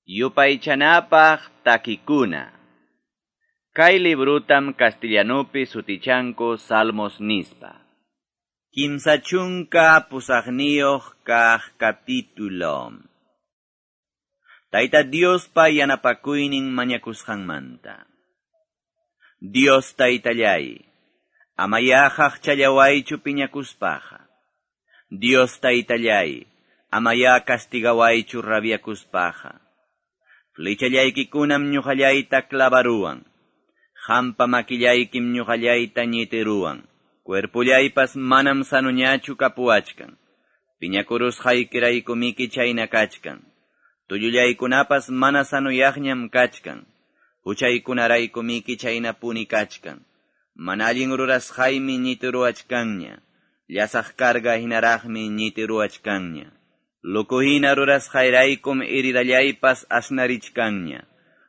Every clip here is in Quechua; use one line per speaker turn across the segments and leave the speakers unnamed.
Yupaychanapaq takikuna. Kay librutam castellanupi sutichanku Salmos nispa. 38 kaq capítulo. Tayta Diospa yanapakuynin mañakusqanmanta. Dios taytallay, amaya qaqchallawaychu piñakuspaqa. Dios taytallay, amaya castigawaychu rabiakuspaqa. Flechallaykikunam ñuqallayta clavaruwan. Hampa makillaykim ñuqallayta ñitiruwan. Cuerpullaypas manam sanuñachu kapuwachkan. Piñakurusqaykiraykumiki chayna kachkan. Tullullaykunapas mana sanuyaqñam kachkan. Huchaykunaraykumiki chaynapuni kachkan. Mana allin rurasqaymi ñitiruwachkanña. Llasaq carga hinaraqmi ñitiruwachkanña. Lukuhina rurasqayraykum heridallaypas asnarichkanña.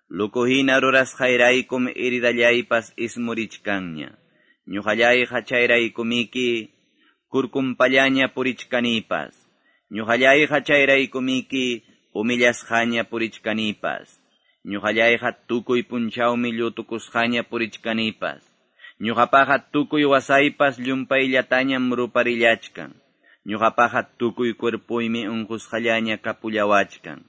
Lukuhina rurasqayraykum heridallaypas ismurichkanña. Ñuqallayqa chayraykumiki kurkumpallaña purichkanipas. Ñuqallayqa chayraykumiki humillasqaña purichkanipas. Ñuqallayqa tukuy punchawmi llutukusqaña purichkanipas. Ñuqapaqa tukuy wasaypas llumpayllatañam ruparillachkan. Ñuqapaqa tukuy cuerpuymi unqusqallaña kapullawachkan.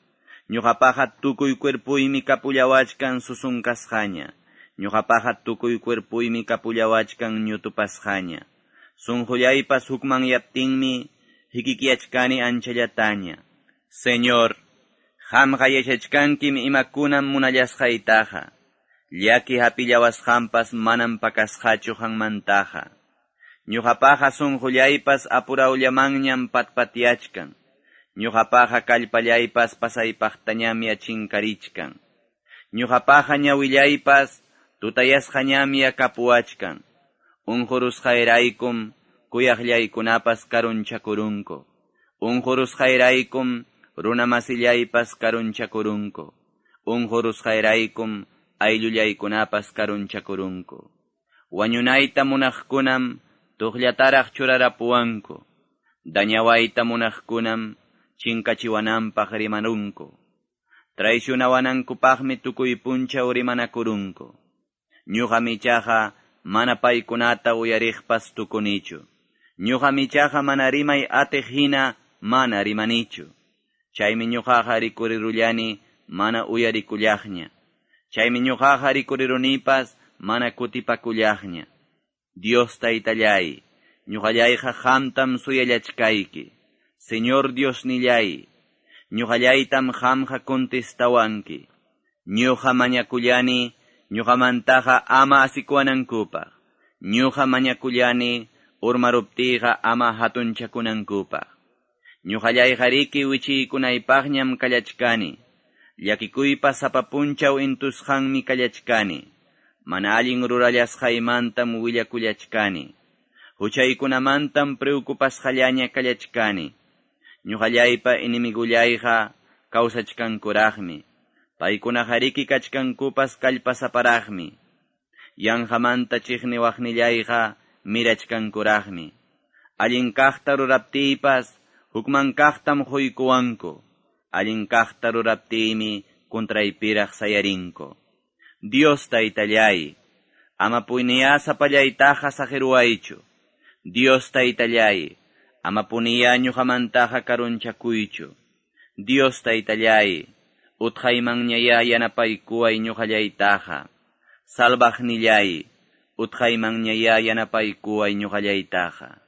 Ñuqapaqa tukuy cuerpuymi kapullawachkan susunkasqaña. Ñuqapaqa tukuy cuerpuymi kapullawachkan ñutupasqaña. Sunqullaypas hukmanyaptinmi hikikiachkani anchallataña. Señor, qamqa yachachkankim imakunam munallasqaytaqa. Llaki hapillawasqanpas manam pakasqachu qanmantaqa. Ñuqapaqa sunqullaypas apurawllamanñam patpatyachkan. Ñuqapaqa kallpallaypas pasaypaqtañam yachinkarichkan. Ñuqapaqa ñawillaypas tutayasqañam yakapuwachkan. Unqurusqayraykum kuyaqllaykunapas karunchakurunku. Unqurusqayraykum runamasillaypas karunchakurunku. Unqurusqayraykum ayllullaykunapas karunchakurunku. Wañunayta munaqkunam tuqllataraq churarapuwanku. Dañawayta munaqkunam chinkachiwananpaq rimanunku. Traicionawanankupaqmi tukuy punchaw rimanakurunku. Ñuqam ichaqa mana paykunata uyariqpas tukunichu. Ñuqam ichaqa mana rimay atiq hina mana rimanichu. Chaymi ñuqaqa rikurirullani mana uyarikullaqña. Chaymi ñuqaqa rikurirunipas mana kutipakullaqña. Dios taytallay, ñuqallayqa qamtam suyallachkayki. Señor Diosnillay, ñuqallaytam qamqa contestawanki. Ñuqa mañakullani, ñuqamantaqa ama asikuwanankupaq. Ñuqa mañakullani, urmaruptiyqa ama hatunchakunankupaq. Ñuqallayqariki wichiykunaypaqñam kallachkani. Llakikuypa sapa punchaw intusqanmi kallachkani. Mana allin rurallasqaymantam willakullachkani. Huchaykunamantam preocupasqallaña kallachkani. Ñuqallaypa enemigullayqa kawsachkankuraqmi. Paykunaqariki kachkankupas kallpasaparaqmi. Yanqamanta chiqniwaqnillayqa mirachkankuraqmi. Allin kaqta ruraptiypas hukman kaqtam quykuwanku. Allin kaqta ruraptiymi contraypiraq sayarinku. Dios taytallay, ama puniyá sapallaytaqa saqiruwaychu. Dios taytallay, ama puniyá ñuqamantaqa karunchakuychu. Dios taytallay, utqaymanñayá yanapaykuway ñuqallaytaqa. Salvaqnillay, utqaymanñayá yanapaykuway ñuqallaytaqa.